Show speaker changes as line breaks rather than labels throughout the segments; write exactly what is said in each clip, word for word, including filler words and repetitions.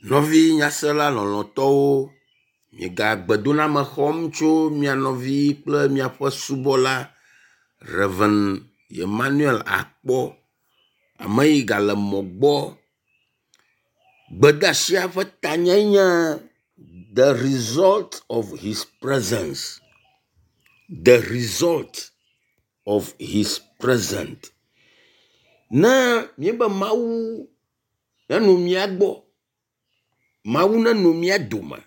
Nɔvi nyasela lɔlɔ̃tɔwo, miega gbedoname xɔm tso mia nɔvi kple miaƒe subɔla Rev. Emmanuel Akpɔ. Ame yi gale mɔ gbɔ. Gbedeasia ƒe tanyae nye the result of his presence. The result of his presence. Ne míebe Mawu nenɔ mía gbɔ, Mawu nenɔ mía dome,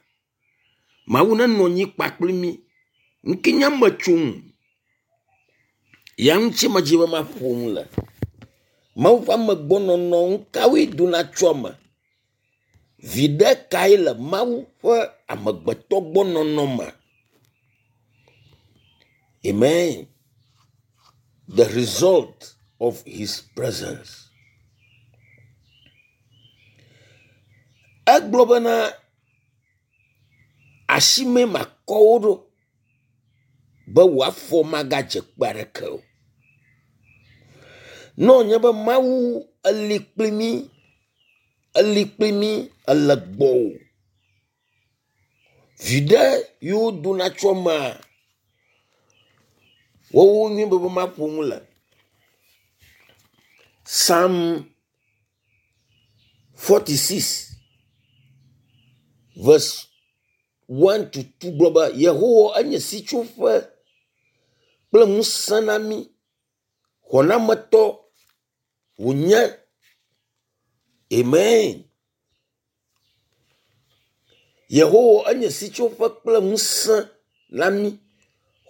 Mawu nenɔ anyi kpakple mí. Nu ke nye emetsonu ya ŋuti medzi be maƒo nu le. Mawu ƒe amegbɔnɔnɔ nu kawoe dona tso eme? Viɖe kae le Mawu ƒe amegbetɔgbɔnɔnɔ me? Amen. The result of his presence. Egblɔ bena asime makɔ wo ɖo be wò afɔ magadze kpe aɖeke o. Ne wònye be Mawu eli kpli mí, eli kpli mí ele gbɔwò. Viɖe yiwo dona tso emea, woawo nye be maƒo nu le. Psalm forty six verse one to two gblɔ be Yehowa enye sitsoƒe kple ŋusẽ na mí, xɔnametɔ wònye. Amen. Yehowa enye sitsoƒe kple ŋusẽ na mí,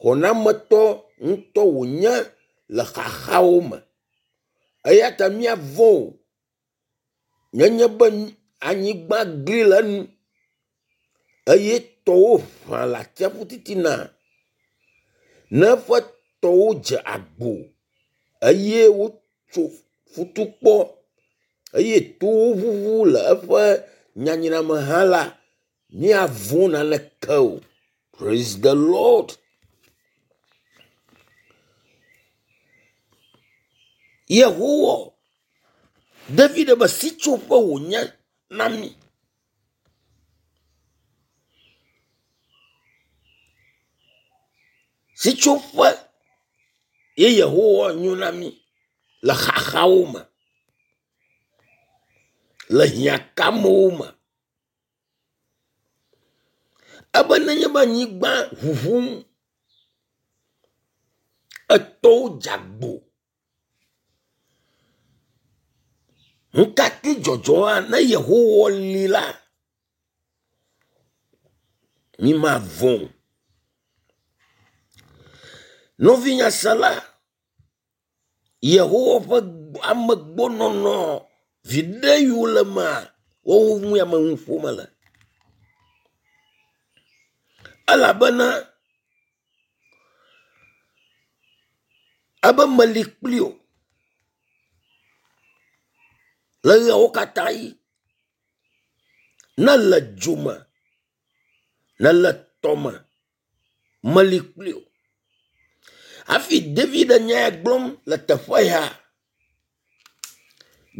xɔnametɔ ŋutɔ wònye le xaxawo me. Eya ta míavɔ̃ o nenye be anyigba gli le enu eye tɔwo ŋa le atsiaƒu titina. Ne eƒe tɔwo dze agbo eye wotso futukpɔ eye towo ŋuŋu le eƒe nyanyra me hã la, míavɔ̃ naneke o. Praise the Lord. Yehowa David be sitsoƒe wònye na mí. Sitsoƒe ye Yehowa nyo na mí le xaxawo me, le hiãkamewo me. Ebe nenye be anyigba ŋuŋum, etɔwo dze agbo. Nu ka te dzɔdzɔ ne Yehowa li la, mi mavɔ̃ o. Nɔvi nyasela, Yehowa ƒe amegbɔnɔnɔ viɖe yiwo le emea, woawo ŋue ame nu ƒom mele. Elabena ebe meli kpli wò le ɣeawo katã ɣi. Ne le dzo me, ne le tɔme, meli kpli wò. Hafi David nya ya gblɔm le teƒe ya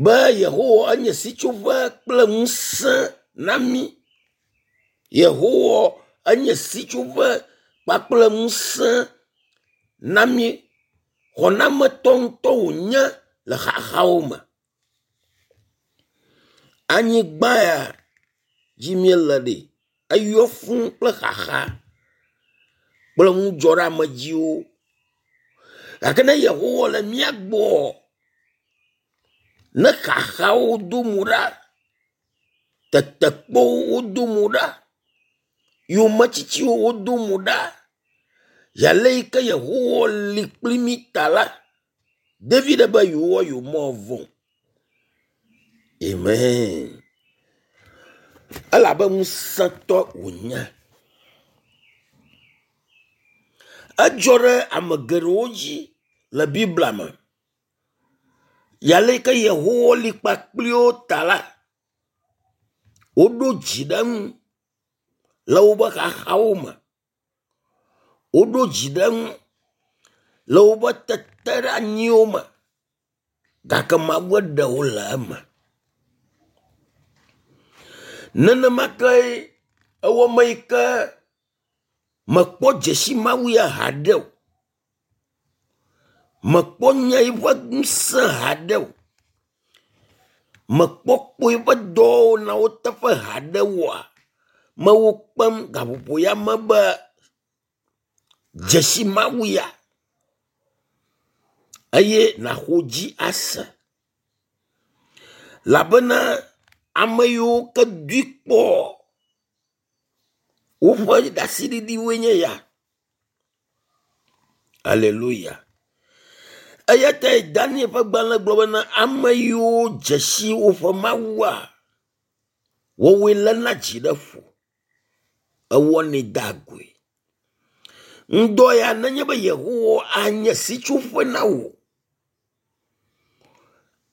be Yehowa enye sitsoƒe kple ŋusẽ na mí. Yehowa enye sitsoƒe kpakple ŋusẽ na mí. Xɔnametɔ ŋutɔ wònye le xaxawo me. Anyigba ya dzi míele ɖe, eyɔ fũu kple xaxa kple nudzɔɖeamedziwo. Gake ne Yehowa le mía gbɔ, ne xaxawo do mo ɖa, tetekpɔwo wodo mo ɖa, yometsitsiwo wodo mo ɖa, ale yi ke Yehowa li kpli mí ta la, David be yewoa yewomavɔ̃ o. Amen. Elabe ŋusẽtɔ wònye. Edzɔ ɖe ame geɖewo dzi le Biblia me. Ale yi ke Yehowa li kpakpli wo ta la, woɖo dzi ɖe eŋu le woƒe xaxawo me. Woɖo dzi ɖe eŋu le woƒe teteɖeanyiwo me gake Mawu eɖe wo le eme. Nenema ke ewɔ me yi ke mekpɔ dzesi Mawu ya haɖe o. Mekpɔ nya eƒe ŋusẽ haɖe o. Mekpɔ kpɔ eƒe dɔwɔnawo teƒe haɖe oa, mewo kpem gaƒoƒo ya me be dzesi Mawu ya eye naxɔ dzi ase. Labena ame yiwo ke dui kpɔ woƒe ɖaseɖiɖiwoe nye ya. Aleluya. Eya tae Daniel ƒe gbalẽ gblɔ bena ame yiwo dze si woƒe Mawua, woawoe léna dzi ɖe ƒo, ewɔnɛ dea goe. Ŋdɔ ya nenye be Yehowa anye sitsoƒe na wò,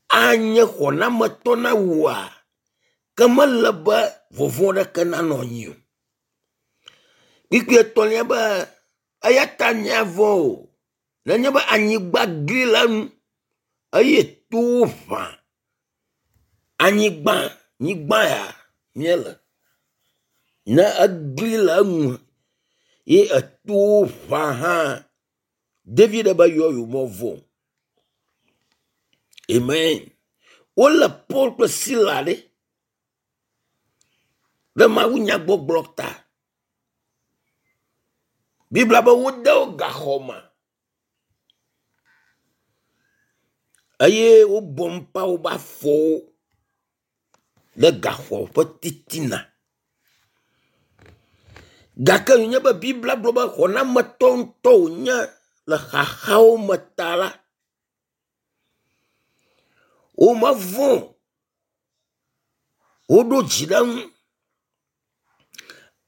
anye xɔnametɔ na wòa, ke mele be vɔvɔ̃ ɖeke nanɔ anyi o. Kpukpui etɔ̃lia be eya ta míavɔ̃ o nenye be anyigba gli le enu eye towo ʋã anyigba nyigba ya míele. Ne egli le enu ye etowo ʋã hã David be yewo yewomevɔ̃ o. Amen. Wolé Paul kple Sila ɖe ɖe mawunyagbɔgblɔ ta. Biblia be wode wo gaxɔ me eye wobɔ ŋpa woƒe afɔwo ɖe gaxɔ ƒe titina. Gake wònye be Biblia gblɔ be xɔnametɔ ŋutɔ wònye le xaxawo me ta la, womevɔ̃ o. Woɖo dzi ɖe eŋu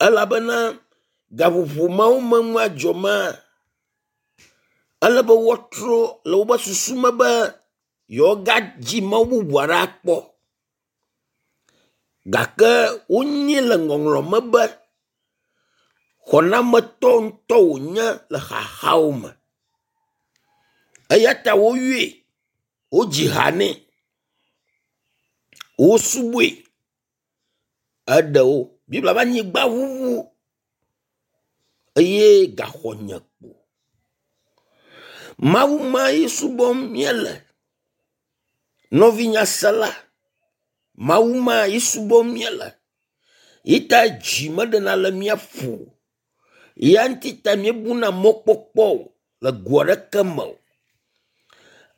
elabena gaƒoƒo mawo me nua dzɔ maa, ele be woatrɔ le woƒe susu me be yewoagadzi Mawu bubu aɖe akpɔ. Gake wonyi le ŋɔŋlɔ me be xɔnametɔ ŋutɔ wònye le xaxawo me. Eya ta woyɔe, wodzi ha nɛ, wosubɔe, eɖe wo. Biblia be anyigba ʋuʋu eye gaxɔ nye kpo. Mawu ma ye subɔm míele. Nɔvinyasela, Mawu ma ye subɔm míele. Yi ta dzi meɖena le mía ƒo o. Ya ŋuti ta míebuna mɔkpɔkpɔ o le go aɖeke me o.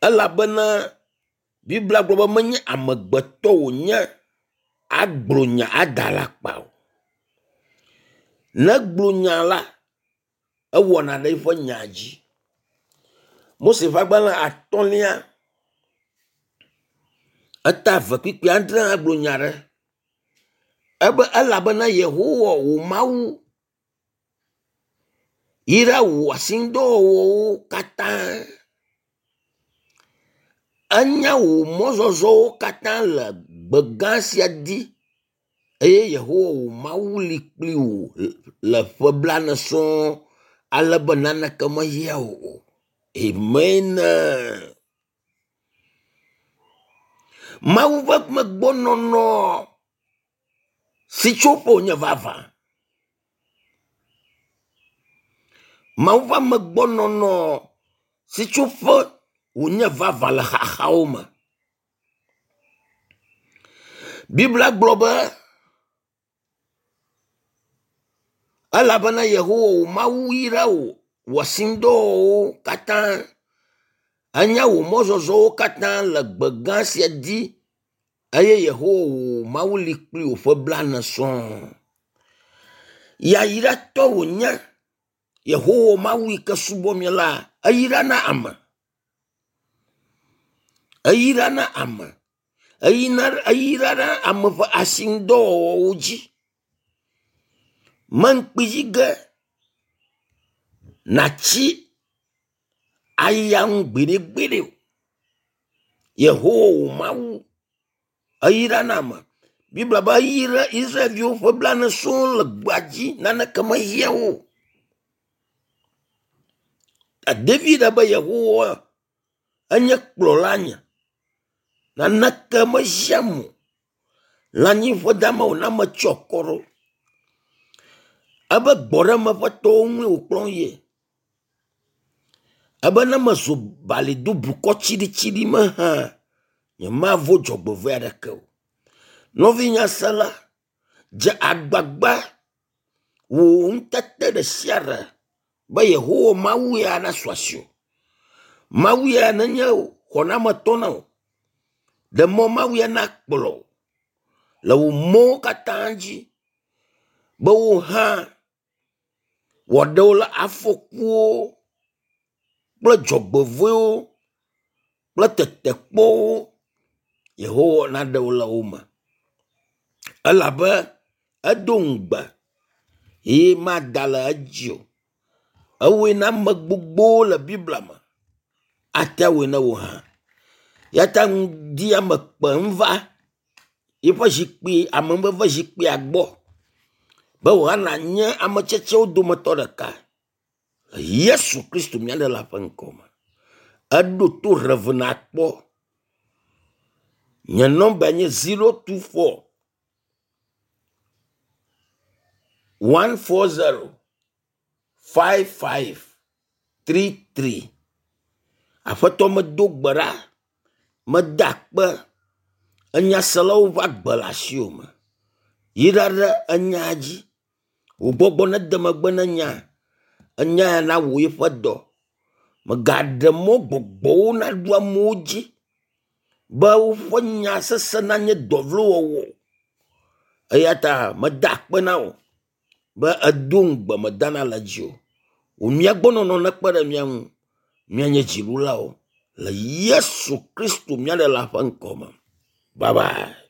Elabena Biblia gblɔ be menye amegbetɔ wònye agblɔ nya ada alakpa o. Ne egblɔ nya la, ewɔna ɖe eƒe nya dzi. Mose ƒe agbalẽ atɔ̃lia eta eve kpukpui adre hã gblɔ nya ɖe. Ebe elabena Yehowa wò Mawu yra wò asinudɔwɔwɔwo katã. Enya wò mɔzɔzɔwo katã le gbe gã sia dzi eye Yehowa wò Mawu li kpli wò le ƒe blaene sɔŋ ale be naneke mehiã wò o. Amen. Mawu ƒe megbɔnɔnɔ sitsoƒe wònye vavã. Mawu ƒe amegbɔnɔnɔ sitsoƒe wònye vavã le xaxawo me. Biblia gblɔ be elabena Yehowa wò Mawu yra wò wò asinudɔwɔwɔwo katã. Enya wò mɔzɔzɔwo katã le gbe gã sia dzi eye Yehowa wò Mawu li kpli wò ƒe blaene sɔŋ. Yayratɔ wònye Yehowa Mawu yi ke subɔm míele eyrana ame. Eyrana ame. Eyina eyrana ame ƒe asinudɔwɔwɔwo dzi. Meŋkpi dzi ge natsi aya ŋu gbeɖegbeɖe o. Yehowa wò Mawu eyrana ame. Biblia be eyra Israelviwo ƒe blaene sɔŋ le gbea dzi naneke mehiã wo o. David be Yehowa enye kplɔla nye. Naneke mehiãm o. Lãnyiƒe dama wòna metsyɔ akɔ ɖo. Ebe gbɔɖeme ƒe towo ŋue wòkplɔm yie. Ebe ne mezɔ bali do blukɔ tsiɖitsiɖi me hã, nyemavɔ̃ dzɔgbevɔ̃e aɖeke o. Nɔvi nyasela, dze agbagba wò ŋutete ɖe sia ɖe be Yehowa Mawu ya nasu asiwò. Mawu ya nenye xɔnametɔ na wò. Ɖe mɔ Mawu ya nakplɔ wò le wò mɔwo katã dzi be wò hã wòaɖe wò le afɔkuwo kple dzɔgbevɔ̃ewo kple tetekpɔwo Yehowa naɖe wò le wo me. Elabe edo ŋugbe ye mada le edzi o. Ewɔe na ame gbogbowo le Biblia me. Ate awɔe na wò hã. Ya ta ŋdi ya me kpem va yiƒe zikpui amenuveve zikpuia gbɔ be wò hã nànye ame tsetsewo dometɔ ɖeka le Yesu Kristo mía Ɖela ƒe ŋkɔ me. Eɖo to rev nakpɔ. Nye nɔmba nye zero two four one four zero five five three three. Aƒetɔ medo gbe ɖa, meda akpe enyaselawo ƒe agbe le asiwò me. Yra ɖe enya dzi. Wò gbɔgbɔ nede megbe ne nya. Enya ya nawɔ eƒe dɔ. Mègaɖe mɔ gbɔgbɔwo naɖu amewo dzi be woƒe nya sese nanye dɔ vlo wɔwɔ o. Eya ta meda akpe na wò be èdo ŋugbe mèdana le edzi o. Wò mía gbɔ nɔnɔ nekpe ɖe mía ŋu míanye dziɖulawo le Yesu Kristo mía Ɖela ƒe ŋkɔ me. Bye bye.